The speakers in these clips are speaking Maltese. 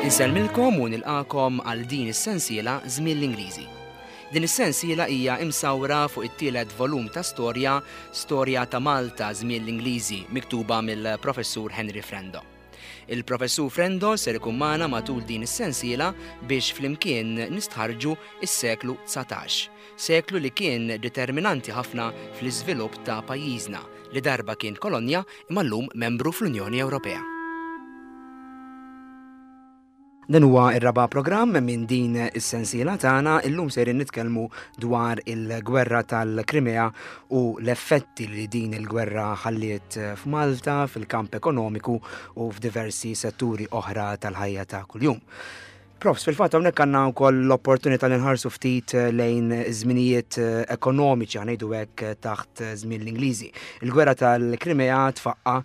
Insellmilkom u nilqakom għal din is-sensiela Żmien l-Ingliżi. Din is-sensiela hija imsawra fuq it-tielet volum ta' storja Storja ta' Malta Żmien l-Ingliżi miktuba mill-Professur Henry Frendo. Il-Professur Frendo ser ikun magħna matul din is-sensiela biex flimkien nistħarrġu s-seklu 19, seklu li kien determinanti ħafna fl-iżvilupp ta' pajjiżna li darba kien kolonja imma llum membru fl-Unjoni Ewropea. Dan huwa r-raba' programm minn din is-sensiela tagħna. Illum sejrin nitkellmu dwar il-gwerra tal-Krimea u l-effetti li din il-gwerra ħalliet f'Malta, fil-kamp ekonomiku u f'diversi setturi oħra tal-ħajja ta' kuljum. Profs, fil-fatt hawnhekk għandna wkoll l-opportunità li nħarsu ftit eh, lejn żminijiet eh, ekonomiċi ħanejdu hekk eh, taħt żmien l-Ingliżi. Il-gwerra tal-Krimea tfaqqa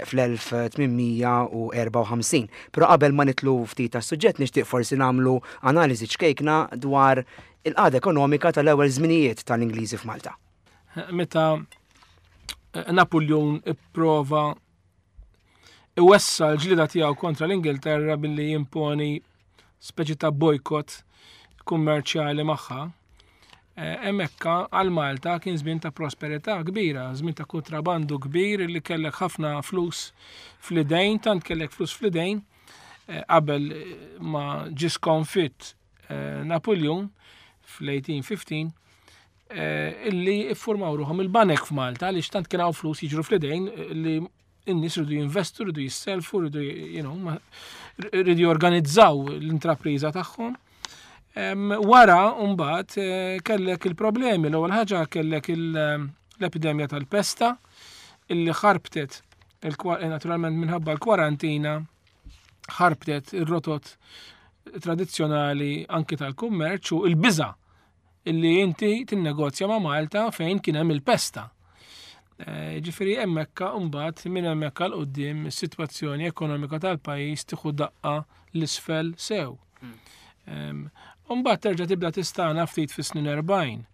fl-1854. Però qabel ma nitlu ftit tas-suġġett nixtieq forsi nagħmlu analiżi ċkejkna dwar il-qagħda ekonomika tal-ewwel żminijiet tal-Ingliżi f'Malta. Meta Napoleon ipprova iwessa l-ġlida tiegħu kontra l-Ingilterra billi jimponi speċi ta' bojkott kummerċjali magħha. Eh, hemmhekk għal Malta kien żmien ta' prosperità kbira, żmien ta' kontrabandu kbir li kellek ħafna flus fl-idejn, tant kellek flus fl-idejn eh, qabel ma ġie skonfitt eh, Napoleon fl-1815 illi iffurmaw ruħhom il-banek f'Malta għaliex tant kien hawn flus jiġru fl-idejn li in-nies rridu jinvestu, rridu jisselfu, rridu you know, rridu jorganizzaw l-intrapriża tagħhom. Wara mbagħad eh, kellek il-problemi, l-ewwel ħaġa kellek l-epidemja tal-pesta illi ħarbtet eh, naturalment minħabba l-kwarantina ħarbtet ir-rotot tradizzjonali anki tal-kummerċ u l-biża' illi inti tinnegozja ma' Malta fejn kien hemm il-pesta. Eh, ġifieri hemmhekk mbagħad minn hemmhekk għal quddiem is-sitwazzjoni ekonomika tal-pajjiż tieħu daqqa l-isfel sew. Hmm. Mbagħad terġa' tibda tistana ftit fis-snin 40.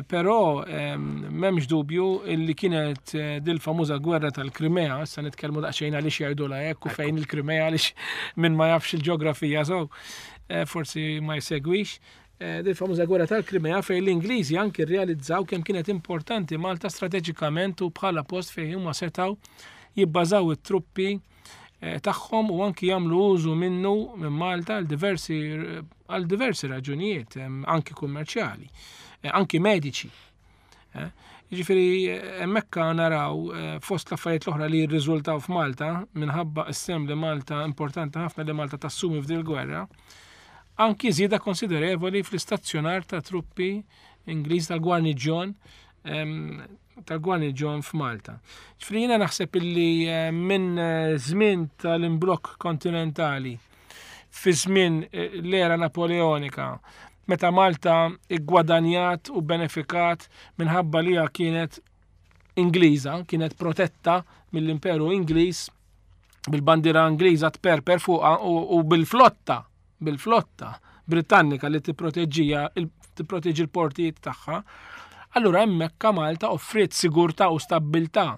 Però m'hemmx dubju illi kienet eh, dil-famuża gwerra tal-Krimea, issa nitkellmu daqsxejn għaliex jgħidulha hekk u fejn il-Krimea għaliex min ma jafx il-ġeografija so eh, forsi ma jsegwix. Eh, dil famuża gwerra tal-Krimea fejn l-Ingliżi anki rrealizzaw kemm kienet importanti Malta strateġikament u bħala post fejn huma setgħu jibbażaw it-truppi eh, tagħhom u anki jagħmlu użu minnu minn Malta għal diversi għal diversi raġunijiet, anki kummerċjali, eh, anki mediċi. Eh, jiġifieri hemmhekk naraw eh, fost l-affarijiet l-oħra li jirriżultaw f'Malta minħabba s-sem li Malta importanti ħafna li Malta tassumi f'din il-gwerra, anki żieda konsiderevoli fl-istazzjonar ta' truppi Ingliż tal-gwarniġjon tal-gwarniġjon f'Malta. Ġifieri jiena naħseb illi eh, minn żmien tal-imblokk kontinentali fi żmien eh, l-era Napoleonika, meta Malta iggwadanjat u benefikat minħabba li kienet Ingliża, kienet protetta mill-Imperu Ingliż bil-bandiera Ingliża tperper fuqha u bil-flotta, bil-flotta Britannika li tipproteġġija tipproteġi l-portijiet tagħha. Allura hemmhekk Malta offriet sigurtà u stabbiltà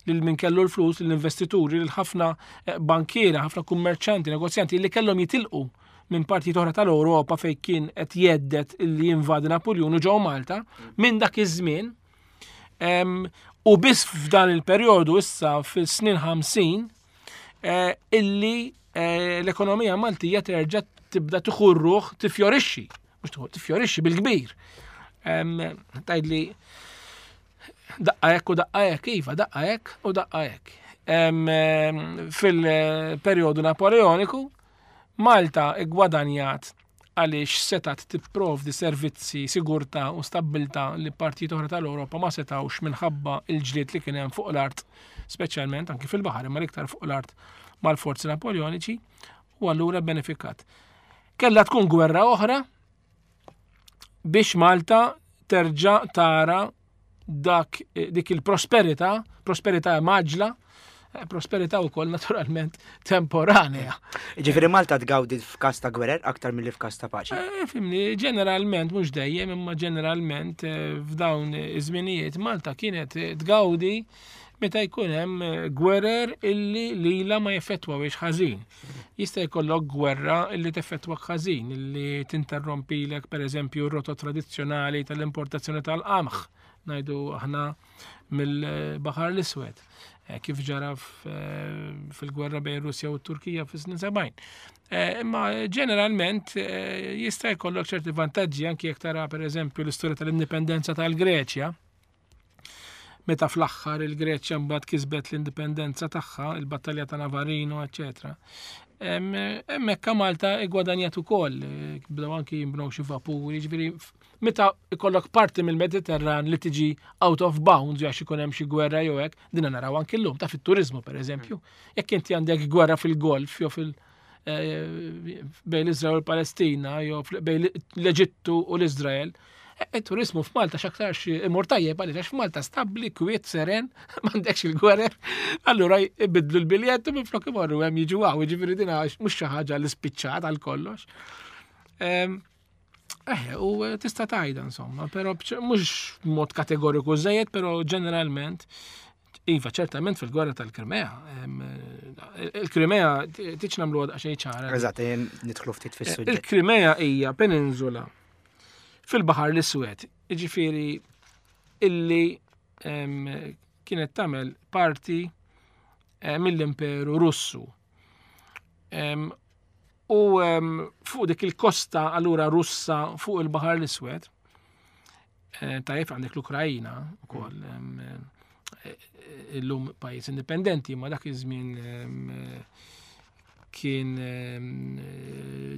lil min kellu l-flus, lill-investituri, lil ħafna eh, bankiera, ħafna kummerċanti, negozjanti li kellhom jitilqu minn partijiet oħra tal-Ewropa fejn kien qed jeddet li jinvadi Napoljun u ġew Malta minn dak iż-żmien. U biss f'dan il-perjodu issa fis-snin 50 eh, illi eh, l-ekonomija Maltija terġa' tibda tieħu ruħ tifjorixxi, mhux tifjorixxi bil-kbir. Tgħidli Daqqa hekk u daqqa hekk, iva, daqqa hekk u daqqa hekk. Fil-perjodu Napoleoniku, Malta iggwadanjat għaliex setat tipprovdi servizzi, sigurtà u stabbiltà li partijiet oħra tal-Ewropa ma setawx minħabba il-ġlied li kien hemm fuq l-art, speċjalment anki fil-baħar, imma l-iktar fuq l-art mal-forzi Napoleoniċi, u allura benefikat. Kella tkun gwerra oħra biex Malta terġa' tara dak eh, dik il-prosperità, prosperità maġla, eh, prosperità wkoll naturalment temporanea. Ġifieri Malta tgawdi f'każ ta' gwerer aktar milli f'każ ta' paċi. Eh, fimni, ġeneralment mhux dejjem, imma ġeneralment f'dawn iż-żminijiet Malta kienet tgawdi. meta jkun hemm eh, gwerer illi lila ma jeffettwawiex ħażin. Jista' jkollok gwerra illi teffettwak ħażin, illi tinterrompilek pereżempju r-rotot tradizzjonali tal-importazzjoni tal-qamħ, ngħidu aħna mill-Baħar l-Iswed, eh, kif ġara eh, fil-gwerra bejn Russja u t-Turkija fis-snin 70. Eh, imma ġeneralment jista' jkollok ċerti vantaġġi anki jekk tara pereżempju l-istorja tal-indipendenza tal-Greċja. Meta fl-aħħar il-Greċja mbagħad kisbet l-indipendenza tagħha, il-battalja ta' Navarino, eċetera. Hemmhekk Malta igwadanjat ukoll, bdew anki jinbnew xi vapuri, ġifieri Meta ikollok parti mill-Mediterran li tiġi out of bounds għax ikun hemm xi gwerra jew hekk, dinha naraw anki llum ta' fit-turiżmu pereżempju. Jekk inti għandek gwerra fil-Golf jew fil- eh, bejn l-Iżrael u l-Palestina jew bejn l-Eġittu u l-Iżrael, eh, il-turizmu f'Malta x'aktarx imur tajjeb għaliex għax f'Malta stabbli, kwiet, seren, m'għandekx il-gwerer, allura jbidlu l-biljett u minflok imorru hemm jiġu hawn, jiġifieri din mhux xi ħaġa li spiċċat għal kollox. Ehm, Eh, u eh, tista' tajda insomma, però mhux mod kategoriku żejjed, però ġeneralment Iva, ċertament fil-gwerra tal-Krimea. Eh, Il-Krimea tiċ nagħmlu għadqa xejn ċara. Eżatt, nidħlu ftit fis-suġġett. Il-Krimea hija peninsula fil-Baħar l-Iswed, jiġifieri illi kienet tagħmel parti mill-Imperu Russu. U fuq dik il-kosta allura Russa fuq il-Baħar l-Iswed, eh, tajjeb għandek l-Ukrajina ukoll eh, illum pajjiż indipendenti, ma dak iż-żmien kien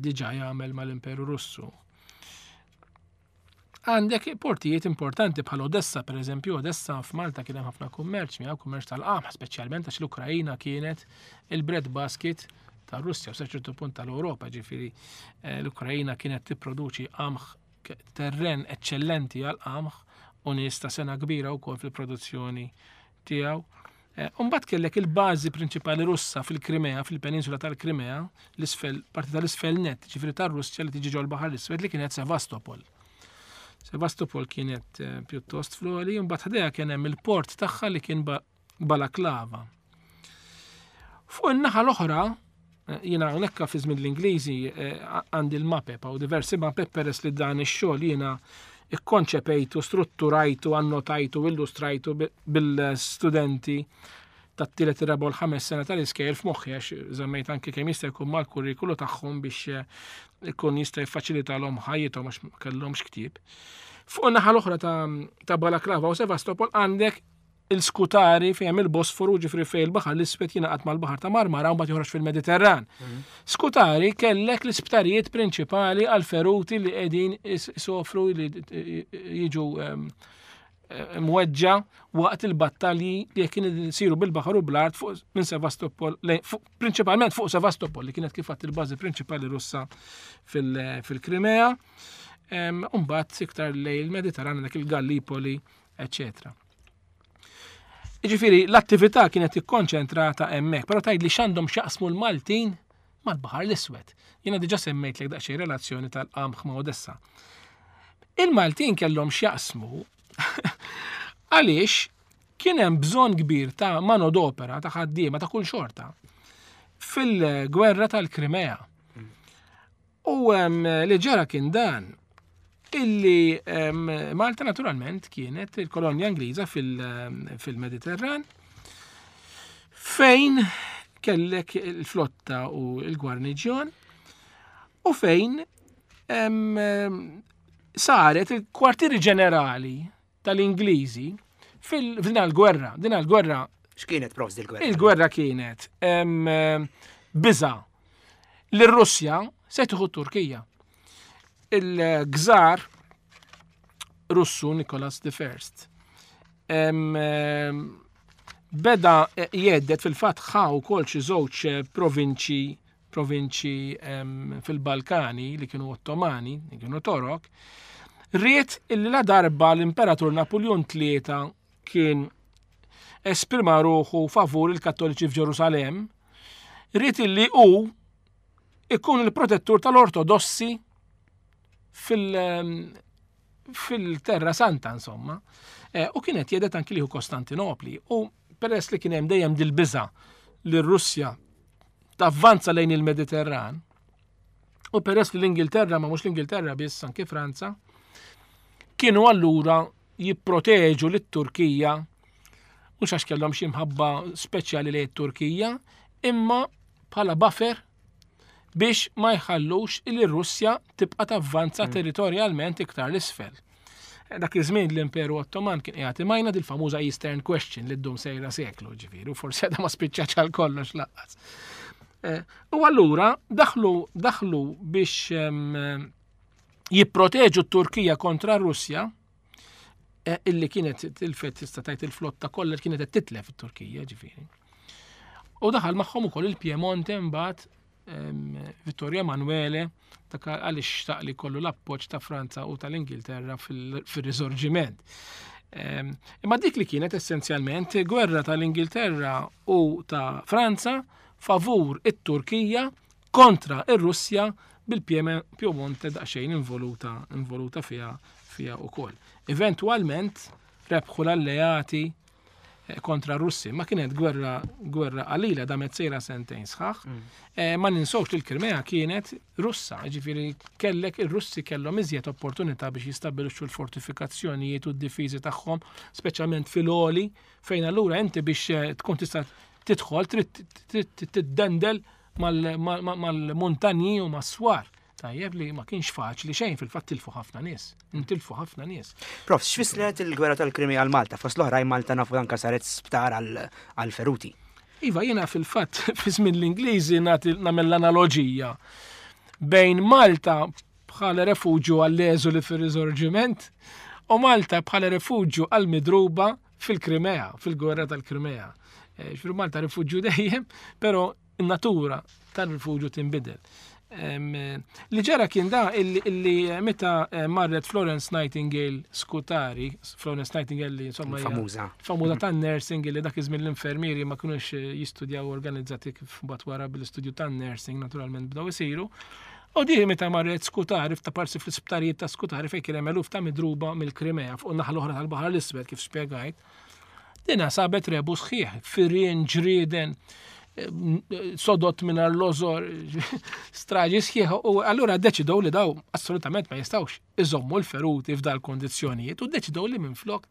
diġà jagħmel mal-Imperu Russu. Għandek portijiet importanti bħal Odessa, per eżempju, Odessa f'Malta kien hemm ħafna kummerċ, miegħu kummerċ tal-qamħ, speċjalment għax l-Ukrajina kienet il-bread basket tar-Russja u sa ċertu punt tal-Ewropa, ġifieri eh, l-Ukrajina kienet tipproduċi qamħ terren eċċellenti għal qamħ u nies ta' sena kbira wkoll fil-produzzjoni tiegħu. Eh, Umbat kellek il-bażi prinċipali Russa fil-Krimea, fil-peninsula tal-Krimea, l-isfel, parti tal-isfel net, ġifri tar-Russja li tiġi ġol baħar l-Iswed li kienet Sevastopol. Sevastopol kienet eh, pjuttost flori, mbagħad ħdejha kien hemm il-port tagħha li kien Balaklava. Fuq in-naħa l-oħra, eh, jiena hawnhekk fi żmien l-Ingliżi eh, għandi l-mapep u diversi mapep peress li dan ix-xogħol jiena ikkonċepejtu, strutturajtu, annotajtu, illustrajtu bil-studenti tat-tielet ir-raba' u l-ħames sena tal-iskejjel f'moħħi għax żammejt anke kemm jista' jkun mal-kurrikulu tagħhom biex eh, ikun jista' jiffaċilitalhom ħajjithom għax ma kellhomx ktieb. Fuq in-naħa l-oħra ta' Balaklava u Sevastopol għandek il-Skutari fejn hemm il-Bosforu ġifri fejn il-Baħar l-Iswed jingħaqad mal-Baħar ta' Marmara u mbagħad joħroġ fil-Mediterran. Mhm. Skutari kellek l-isptarijiet prinċipali għal feruti li qegħdin isofru li jiġu ehm, eh, mweġġa waqt il-battalji li kien isiru bil-baħar u bl-art fuq minn Sevastopol, prinċipalment fuq Sevastopol li kienet kif il-bażi prinċipali Russa fil-Krimea. Ehm, Umbat iktar lejn il-Mediterran dak il-Gallipoli eċetera. Jiġifieri l-attività kienet ikkonċentrata hemmhekk, però tgħidli x'għandhom x'jaqsmu l-Maltin mal-Baħar l-Iswed. Jiena diġà semmejtlek daqsxejn relazzjoni tal-qamħ ma' Odessa. Il-Maltin kellhom x'jaqsmu għaliex kien hemm bżonn kbir ta' manodopera, ta' ħaddiema ta' kull xorta fil-gwerra tal-Krimea. U li ġara kien dan illi Malta naturalment kienet il-kolonja Ingliża fil-Mediterran fejn kellek il-flotta u l-gwarniġjon u fejn saret il-kwartieri ġenerali tal-Ingliżi fil-din għal-gwerra. Din għal-gwerra. X'kienet profs il-gwerra? Il-gwerra kienet biża li r-Russja se tieħu Turkija. Il-gżar Russu Nikolas I beda jeddet fil-fatt ħa wkoll xi żewġ provinċi provinċi fil-Balkani li kienu Ottomani, li kienu Torok, ried illi la darba l-Imperatur Napoleon III kien esprima ruħu favur il-Kattoliċi f'Ġerusalem, ried illi hu ikun il-protettur tal-Ortodossi fil- fil-Terra Santa, insomma. Eh, u kienet jedet anki liħu Kostantinopli. U Peress li kien hemm dejjem dil-biża li r-Russja tavvanza lejn il-Mediterran, u peress li l-Ingilterra, ma mhux l-Ingilterra biss, anke Franza, kienu allura jipproteġu lit-Turkija mhux għax kellhom xi mħabba speċjali lejn it-Turkija, imma bħala buffer biex ma jħallux li r-Russja tibqa' tavvanza territorjalment iktar l-isfel. Dak iż-żmien l-Imperu Ottoman kien qiegħed imajna dil-famuża Eastern Question li ddum sejra seklu, ġifieri, u forsi għadha ma spiċċax għal kollox laqqas. Eh, u allura daħlu daħlu biex jipproteġu t-Turkija kontra r-Russja, eh, illi kienet tilfet tista' tgħid il-flotta kollha kienet qed titlef it-Turkija, ġifieri. U daħal magħhom ukoll il-Piemonte mbagħad Vittorio Emanuele dak għaliex xtaq li kollu l-appoġġ ta' Franza u tal-Ingilterra fil-risorġiment. Imma dik li kienet essenzjalment gwerra tal-Ingilterra u ta' Franza favur it-Turkija kontra ir-Russja bil-Piemonte daqsxejn involuta involuta fiha fiha wkoll. Eventwalment rebħu l-alleati eh, kontra r-Russi. Ma kienet gwerra gwerra qalila damet sejra sentejn sħaħ. Mm. Eh, ma ninsewx li l-Krimea kienet Russa, ġifieri kellek ir-Russi kellhom iżjed opportunità biex jistabbilixxu l-fortifikazzjonijiet u d-difiżi tagħhom, speċjalment fil-oli, fejn allura inti biex eh, tkun tista' tidħol trid tiddendel mal-muntanji u mas-swar. Tajjeb li ma kienx faċli xejn fil-fatt tilfu ħafna nies. Intilfu ħafna nies. Prof, x'fissret il-gwerra tal-Krimea għal Malta? Fost l-oħrajn Malta nafu anka saret sptar għal feruti. Iva, jiena fil-fatt fi żmien l-Ingliżi nagħmel l-analoġija bejn Malta bħala refuġju għall-eżuli fir-Risorġiment u Malta bħala refuġju għall-midruba fil-Krimea, fil-gwerra tal-Krimea. Eh, ġifieri Malta rifuġju dejjem, però in-natura tal-rifuġju tinbidel. Li ġara kien da illi meta eh, marret Florence Nightingale Scutari, Florence Nightingale li insomma famuża. Famuża tan-nursing li dak iż-żmien l-infermieri ma kinux eh, jistudjaw organizzati kif mbagħad wara bil-istudju tan-nursing naturalment bdew isiru. U di meta marret Scutari f'taparsi fl-isptarijiet ta' Scutari fejn kien hemm eluf ta' midruba mill-Krimea fuq naħa l-oħra tal-Baħar l-Iswed kif spjegajt. Dina sabet rebu sħiħ, firien, ġrieden, sodot mingħajr lożor, straġi sħiħ, u allura deċidow li daw assolutament ma jistawx iżommu l-feruti f'dal kondizzjonijiet u deċidow li minflok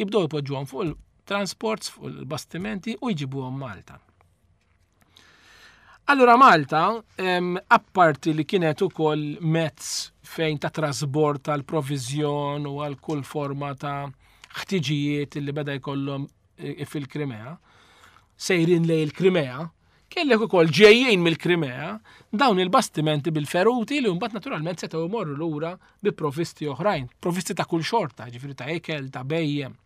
jibdew ipoġġuhom fuq il-transports, fuq il-bastimenti u jġibuhom Malta. Allura Malta, apparti li kienet ukoll mezz fejn ta' trasbord tal-proviżjon u għal kull forma ta' ħtiġijiet li beda jkollhom e, fil-Krimea, sejrin lej il-Krimea, kellek ukoll ġejjin mill-Krimea dawn il-bastimenti bil-feruti li mbagħad naturalment setgħu jmorru lura bi provvisti oħrajn, provvisti ta' kull xorta, ġifieri ta' ikel, ta' bejjem.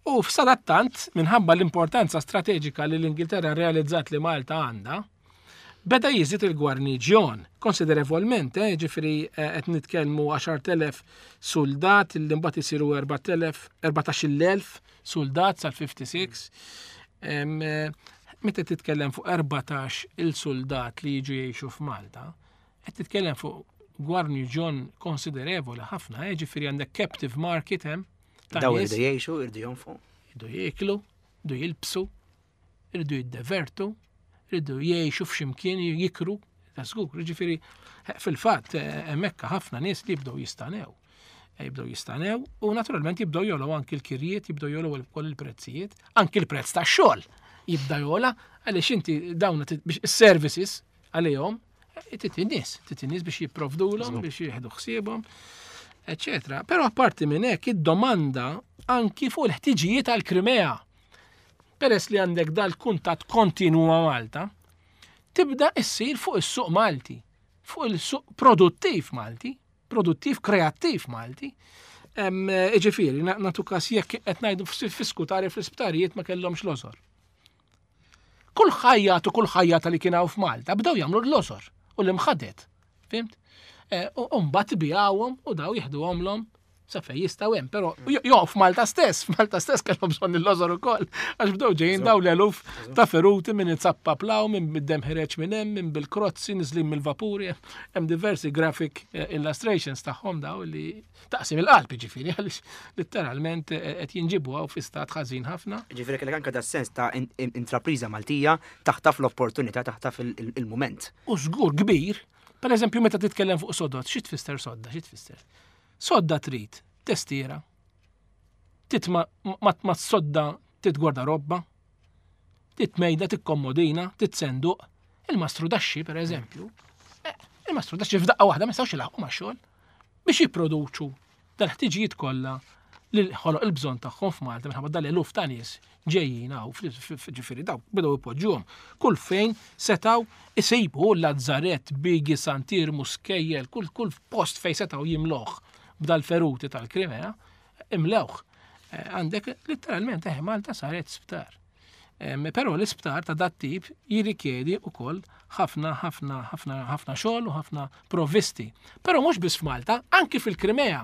U f'sadattant, minħabba l-importanza strateġika li l-Ingilterra realizzat li Malta għandha, beda jiżdied il-gwarniġjon konsiderevolment, eh, ġifieri eh, qed nitkellmu 10,000 suldat li mbagħad isiru 4,000 14,000 suldat sal-56. Eh, meta titkellem fuq 14 il-suldat li jiġu jgħixu f'Malta, qed titkellem fuq gwarniġjon konsiderevoli ħafna, eh, ġifieri għandek captive market hemm Daw irdu jgħixu, irdu jonfu. Irdu jieklu, irdu jilbsu, irdu jiddevertu, irdu jgħixu f'ximkien jikru, ta' żgur. Ġifieri eh, fil-fatt eh, hemmhekk ħafna nies li jibdew jistanew. Eh, jibdew jistanew u naturalment jibdew jogħlew anki l-kirjiet, jibdew jogħlew ukoll il-prezzijiet, anki l-prezz tax-xogħol jibda jogħla għaliex inti dawn biex is-services għalihom Trid in-nies, trid in-nies biex jipprovdulhom, biex jieħdu ħsiebhom, eċetera. Però apparti minn hekk id-domanda anki fuq il-ħtiġijiet għall-Krimea. Peress li għandek dal-kuntatt kontinu ma' Malta, tibda issir fuq is-suq Malti, fuq il-suq produttiv Malti, produttiv kreattiv Malti. Ġifieri, natu kas jekk qed ngħidu fiskutari fl-isptarijiet ma kellhomx lożor. Kull ħajjat u kull ħajjata li kien hawn f'Malta bdew jagħmlu l-losor u l-imħadet. Fimt? Eh, u mbagħad bijawhom u daw jieħduhomlhom Sa fej jistgħu hemm, però jo f'Malta stess, f'Malta stess kellhom bżonn il-lożor ukoll, għax bdew ġejjin daw l-eluf ta' feruti minn itzappap law, minn bid-dem ħireġ minn hemm, minn bil-krozzi niżlin mill-vapuri, hemm diversi graphic eh, illustrations tagħhom daw li taqsim il-qalb ġifieri għaliex litteralment eh, qed jinġibu hawn fi stat ħażin ħafna. Ġifieri kellek anke da sens ta' intrapriża Maltija taħtaf l-opportunità, taħtaf il-mument. U żgur kbir, per eżempju meta titkellem fuq sodod, xi tfisser sodda, xi tfisser? Sodda trid testiera. Titma ma sodda titgwarda robba, titmejda, tikkommodina, titsenduq. Il-mastru daxxi, per eżempju, eh, il-mastru daxxi f'daqqa waħda ma jistgħux ilaħqu ma' xogħol biex jipproduċu dal-ħtiġijiet kollha li ħoloq il-bżonn tagħhom f'Malta minħabba dal-eluf ta' nies ġejjin hawn ġifieri daw bdew ipoġġuhom kull fejn setgħu isibu Lazzarett, Bigi, Sant'Iermu, Skejjel, kull kull post fejn setgħu jimloh b'dal-feruti tal-Krimea, imlewh. Eh, għandek letteralment eh, Malta saret sptar. Però l-isptar ta' dat tip jirrikjedi wkoll ħafna ħafna ħafna ħafna xogħol u ħafna provvisti. Però mhux biss f'Malta, anki fil-Krimea.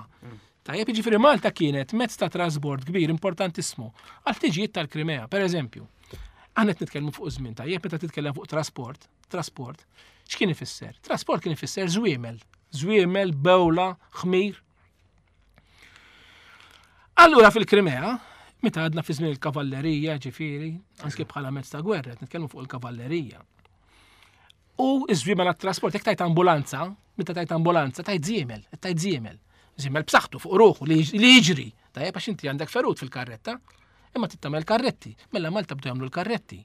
Tajjeb, jiġifieri Malta kienet mezz ta' trasbord kbir importantissimu għal ħtiġijiet tal-Krimea. Per eżempju, aħna qed nitkellmu fuq żmien tajjeb meta titkellem fuq trasport, trasport, x'kien ifisser? Trasport kien ifisser żwiemel, żwiemel, bewla, ħmir. Allura fil-Krimea, meta għadna fi żmien il-kavallerija, ġifieri, anke bħala mezz ta' gwerra, qed nitkellmu fuq il-kavallerija. U iż-żwiemel għat-trasport, jekk tajt ambulanza, meta tajt ambulanza, tajt żiemel, tajt żiemel. Żiemel b'saħħtu fuq ruħu li jiġri. Tajjeb għax inti għandek ferut fil-karretta, imma trid tagħmel karretti. Mela Malta bdew jagħmlu l-karretti,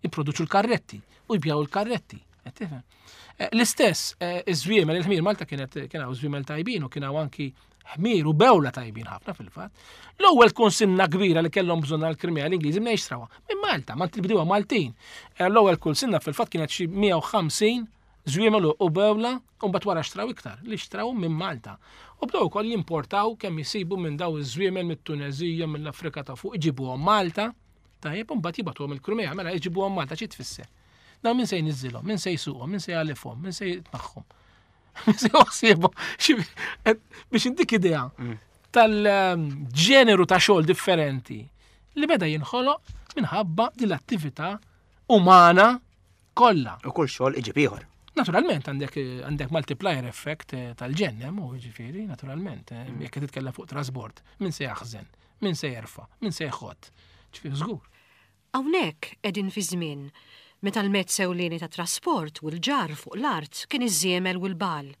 jipproduċu l-karretti u jbjaw il-karretti. Qed tifhem? Eh, l-istess, eh, iż-żwiemel, il-ħmir Malta kienet kien hawn żwiemel tajbin u kien hawn anki ħmir u bewla tajbin ħafna fil-fatt. L-ewwel kunsinna kbira li kellhom bżonn għall-Krimea l-Ingliżi minn xtrawha? Minn Malta, ma bdewha Maltin. Eh, l-ewwel kunsinna fil-fatt kienet xi 150 żwiemel u bewla u mbagħad wara xtraw iktar li xtraw minn Malta. U bdew ukoll jimportaw kemm jisibu minn daw iż-żwiemel mit-Tuneżija, mill-Afrika ta' fuq, iġibuhom Malta. Tajjeb, u mbagħad jibgħatuhom il-Krimea, mela jġibuhom Malta xi tfisser? Dawn min se jniżżilhom, min se jsuqhom, min se jgħalifhom, min se jitmaħħhom. Biex intik idea mm. tal-ġeneru ta' xogħol differenti li beda jinħoloq minħabba din l-attività umana kollha. U kull xogħol iġib ieħor. Naturalment għandek għandek multiplier effect eh, tal-ġennem u ġifieri, naturalment, eh, mm. jekk titkellem fuq trasbord, min se jaħżen, min se jerfa', min se jħott. Ġifieri żgur. Hawnhekk qegħdin fi żmien meta l-mezz ewlieni ta' trasport u l-ġarr fuq l-art kien iż-żiemel u l-bagħal.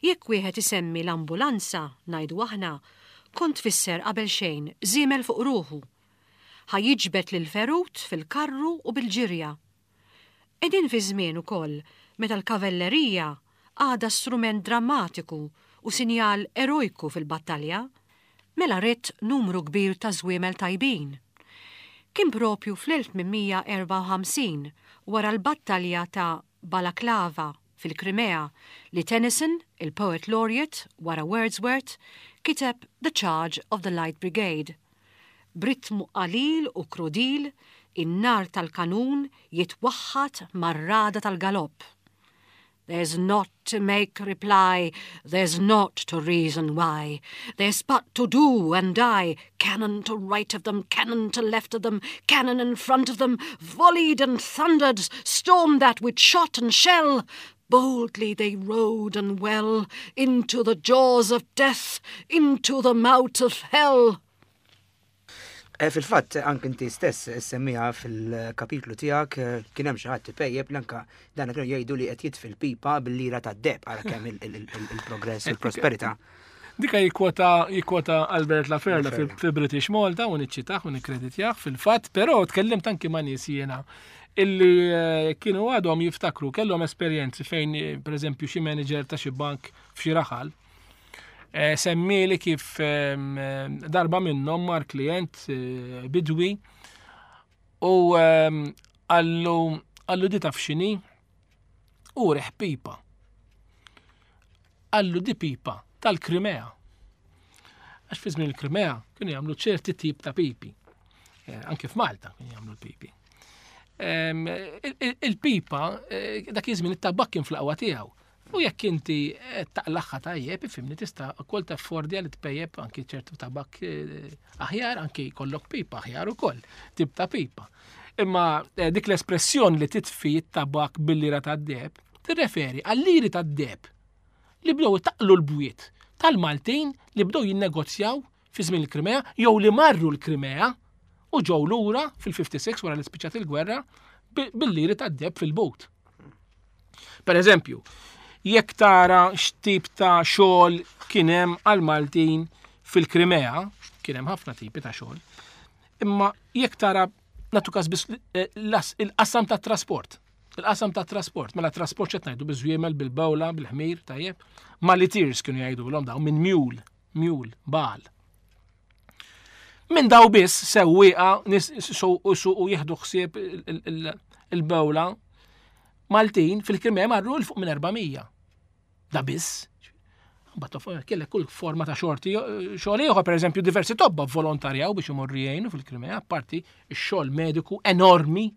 Jekk wieħed isemmi l-ambulanza, ngħidu aħna, kont tfisser qabel xejn żiemel fuq ruħu. Ħa jiġbed lill-ferut fil-karru u bil-ġirja. Qegħdin fi żmien ukoll meta l-kavellerija għadha strument drammatiku u sinjal erojku fil-battalja. Mela ridt numru kbir ta' żwiemel tajbin. Kien proprju fl-1854, wara l-battalja ta' Balaklava fil-Krimea, li Tennyson, il-Poet Laureate wara Wordsworth, kiteb The Charge of the Light Brigade. B'ritmu qalil u krudil, in-nar tal-kanun jitwaħħad mar-ragħda tal-galopp. There's naught to make reply, there's naught to reason why, there's but to do and die, cannon to right of them, cannon to left of them, cannon in front of them, volleyed and thundered, stormed at with shot and shell. Boldly they rode and well, into the jaws of death, into the mouth of hell. Eh, fil-fatt, anke inti stess semmija fil-kapitlu tiegħek eh, kien hemm xi ħadd ipejjeb li anke dan kienu jgħidu li qed jitfi l-pipa bil-lira tad-deheb ara kemm il-progress u l-prosperità. Dika jikkwota jikkwota Albert Laferla fi British Malta u niċċitah u nikkreditjah fil-fatt, però tkellimt anki ma' nies jiena illi eh, kienu għadhom jiftakru kellhom esperjenzi fejn pereżempju xi manager ta' xi bank f'xi raħal Eh, semmieli kif ehm, darba minnhom mar klient eh, bidwi u ehm, għallu għallu di taf x'inhi u reħ pipa. Għallu di pipa tal-Krimea. Għax fi żmien il-Krimea kienu jagħmlu ċerti tip ta' pipi. Eh, anke f'Malta kienu jagħmlu l-pipi. Ehm, il-pipa dak iż-żmien it-tabak kien fl-aqwa tiegħu. U jekk inti qed taqlaħħa tajjeb, ifhimni tista' wkoll taffordja li tpejjeb anki ċertu tabak eh, aħjar, anki jkollok pipa aħjar ukoll, tip ta' pipa. Imma eh, dik l-espressjoni li titfi t-tabak bil-lira tad-deb tirreferi għal-liri tad-deb li bdew itaqlu l-bwiet tal-Maltin li bdew jinnegozjaw fi żmien il-Krimea jew li marru l-Krimea u ġew lura fil-56 wara li spiċċat il-gwerra bil-liri tad-deb fil-but. Per eżempju, jekk tara x'tip ta' xogħol kien hemm għal-Maltin fil-Krimea, kien hemm ħafna tipi ta' xogħol, imma jekk tara natu każ biss eh, il-qasam tat trasport. Il-qasam tat trasport, mela trasport xed ngħidu biż-żwiemel, bil-bawla, bil-ħmir, tajjeb. Malitiers kienu jgħidulhom dawn minn mule, mule, bal. Minn daw biss sewwieqa nies u jieħdu ħsieb il-bewla Maltin fil-Krimea marru l fuq minn 400. Da biss. Mbagħad kellek kull forma ta' xorti xogħol ieħor, pereżempju diversi tobba volontarjaw biex imorru jgħinu fil-Krimea, apparti x-xogħol mediku enormi,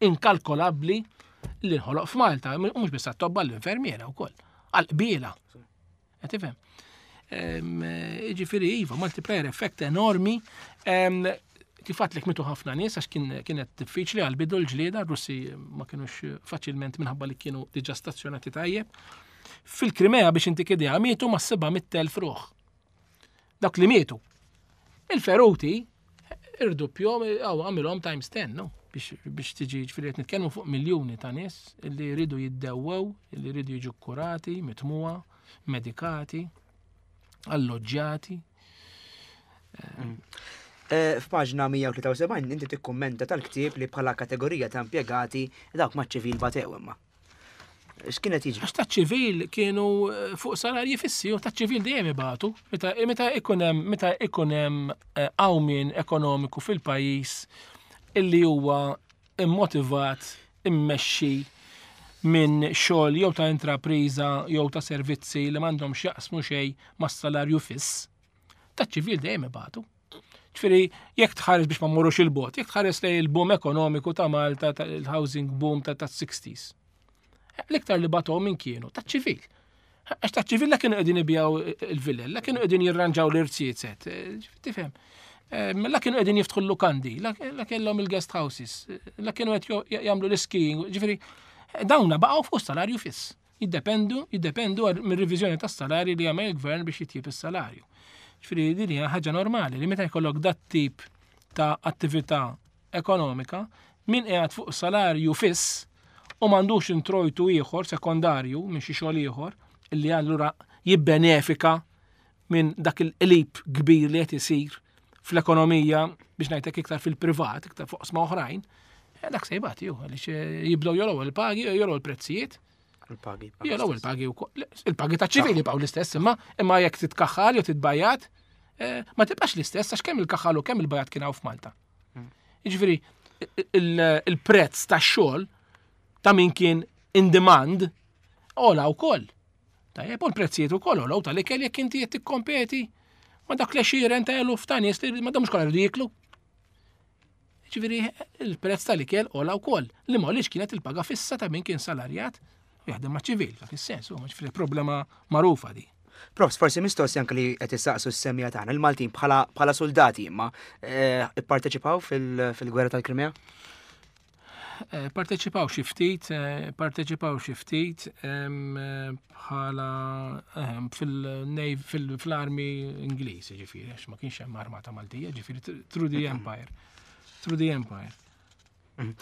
inkalkolabbli li nħoloq f'Malta, mhux biss għat-tobba l-infermiera wkoll, għall-qbiela. Qed tifhem? Jiġifieri iva, multiplier effect enormi. Kif għatlek mitu ħafna nies għax kienet diffiċli għal bidu l-ġlieda, Russi ma kienux faċilment minħabba li kienu diġà stazzjonati tajjeb. Fil-Krimea biex intik idea mietu ma' 700,000 ruħ. Dak li mietu. Il-feruti irduppjom, għaw għamilhom times 10, no? Biex tiġi ġifieri qed nitkellmu fuq miljuni ta' nies li jridu jiddewwew, li jridu jiġu kurati, mitmuha, medikati, alloġġjati. Mm. Eh, f'paġna 173 inti tikkummenta tal-ktieb li bħala kategorija ta' impjegati dawk maċ-ċivil batew imma. X'kienet jiġri? Għax taċ-ċivil kienu eh, fuq salarji fissi u taċ-ċivil dejjem ibatu. Meta meta ikun hemm meta ikun hemm eh, qawmien ekonomiku fil-pajjiż illi huwa immotivat, immexxi minn xogħol jew ta' intrapriża jew ta' servizzi li m'għandhom x'jaqsmu xejn mas-salarju fiss, taċ-ċivil dejjem ibatu. Ġifieri, jekk tħares biex ma mmorrux il-bot, jekk tħares lejn il-boom ekonomiku ta' Malta, il-housing boom ta' 60s. L-iktar li batom minn kienu ta' ċivil. Għax ta' ċivil la kienu qegħdin ibjaw il-villel, la kienu qegħdin jirranġaw l-irziezet, tifhem. La kienu qegħdin jiftħu l-lukandi, la kellhom il-guest houses, la kienu qed jagħmlu l-skiing, ġifieri dawna baqgħu fuq salarju fiss. Jiddependu, jiddependu mir-reviżjoni tas-salarji li jagħmel il-gvern biex jitjieb is-salarju. Ġifieri din hija ħaġa normali li meta jkollok dat tip ta' attività ekonomika, min qiegħed fuq salarju fiss u m'għandux introjtu ieħor sekondarju minn xi xogħol ieħor illi allura jibbenefika minn dak il-qlib kbir li qed isir fl-ekonomija biex ngħidlek iktar fil-privat, iktar fuq sma oħrajn, eh, dak se jibgħat ju, għaliex eh, jibdew jolgħu il-pagi, jolgħu il-prezzijiet. Il-pagi. Jolgħu il-pagi wkoll. Il-pagi ta' ċivili jibqgħu l-istess, imma imma jekk titkaħħal jew titbajjat, eh, ma tibqax l-istess għax kemm il-kaħħal u kemm il-bajat kien hawn f'Malta. Hmm. Jiġifieri il-prezz tax-xogħol ta' min kien in demand ola wkoll. Tajjeb, u l-prezzijiet ukoll għolow tal-ikel jekk inti qed tikkompeti ma' dak l-għexieren ta' eluf ta' nies li ma mhux kollha jridu jieklu. Ġifieri il-prezz tal-ikel għola wkoll li ma kienet il-paga fissa ta' min kien salarjat u jaħdem ma' ċivil, dak is-sens, u ġifieri problema magħrufa di. Profs, forsi mistoqsi anke li qed issaqsu s-semija tagħna, il-Maltin bħala soldati imma eh, ipparteċipaw fil-gwerra tal-Krimea? Eh, parteċipaw xi ftit, eh, parteċipaw xi ftit eh, bħala fil-armi Ingliż, ġifieri, għax ma kienx hemm armata Maltija, ġifieri through the Empire. Through the Empire. Mhm.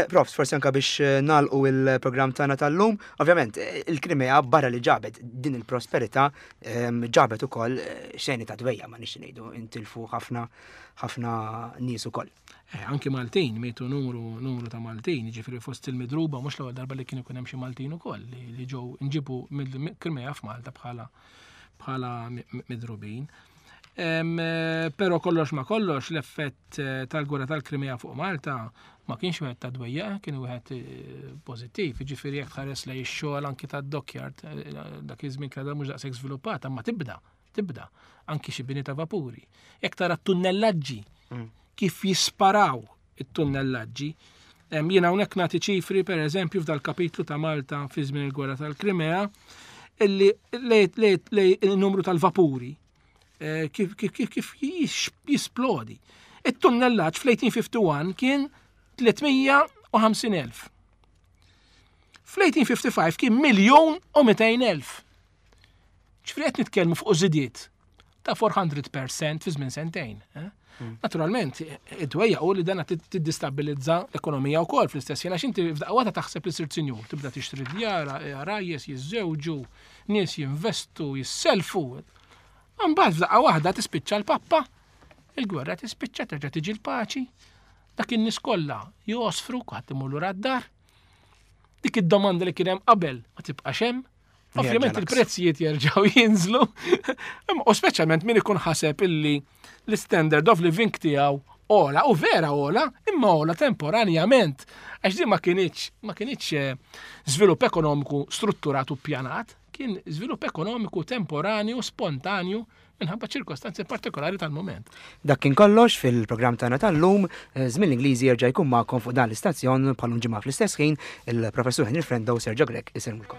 Profs, forsi anka biex nalqu il-programm tagħna tal-lum, ovvjament il-Krimea barra li ġabet din il-prosperità ġabet ukoll xeni ta' dwejja ma nixti ngħidu intilfu ħafna ħafna nies ukoll. Eh, anki Maltin, mietu numru, numru ta' Maltin, ġifiri fost il-midruba, mux l-ewwel darba li kien ikun hemm xi Maltin ukoll li ġew nġibu mill-Krimea f'Malta bħala bħala midrubin. Eh, però kollox ma kollox l-effett eh, tal-gwerra tal-Krimea fuq Malta ma kienx wieħed ta' dwejja, kien wieħed pożittiv, ġifieri jekk tħares lej ix-xogħol anki tad-dockyard dak iż-żmien kien mhux daqshekk żviluppata, ma tibda tibda, anki xi bini ta' vapuri. Jekk tara t-tunnellaġġi mm. kif jisparaw it-tunnellaġġi. Jiena hawnhekk nagħti ċifri pereżempju f'dal-kapitlu ta' Malta fi żmien il-Gwerra tal-Krimea illi lej il-numru tal-vapuri eh, kif kif kif kif jisplodi. It-tunnellaġġ fl-1851 kien 350,000. Fl-1855 kien 1,200,000. Ġifieri qed nitkellmu fuq żidiet ta' 400% fi żmien sentejn. Eh? Hmm. Naturalment, id-dwejja u li dana tiddistabilizza l-ekonomija wkoll fl-istess ħin għax inti f'daqqa waħda taħseb li sirt sinjur, tibda tixtri djar, rajjes jiżżewġu, nies jinvestu, jisselfu. Mbagħad f'daqqa waħda tispiċċa l-pappa, il-gwerra tispiċċa terġa' tiġi l-paċi, dak in-nies kollha josfru, kulħadd imur lura d-dar. Dik id-domanda li kien hemm qabel ma tibqax hemm. Ovvjament il-prezzijiet jerġgħu jinżlu. U speċjalment min ikun ħaseb illi l-standard of living tiegħu ola, u vera ola, imma ola temporanjament. Għax din ma kienx ma kienx eh, żvilupp ekonomiku strutturat u ppjanat, kien żvilupp ekonomiku temporanju, spontanju, minħabba ċirkostanzi partikolari tal-mument. Dak kien kollox fil-programm tagħna tal-lum, eh, żmien l-Ingliżi jerġa' jkun magħkom fuq dan l-istazzjon bħalum ġimgħa fl-istess ħin, il-Professur Henry Frendo u Sergio Grech isellmulkom.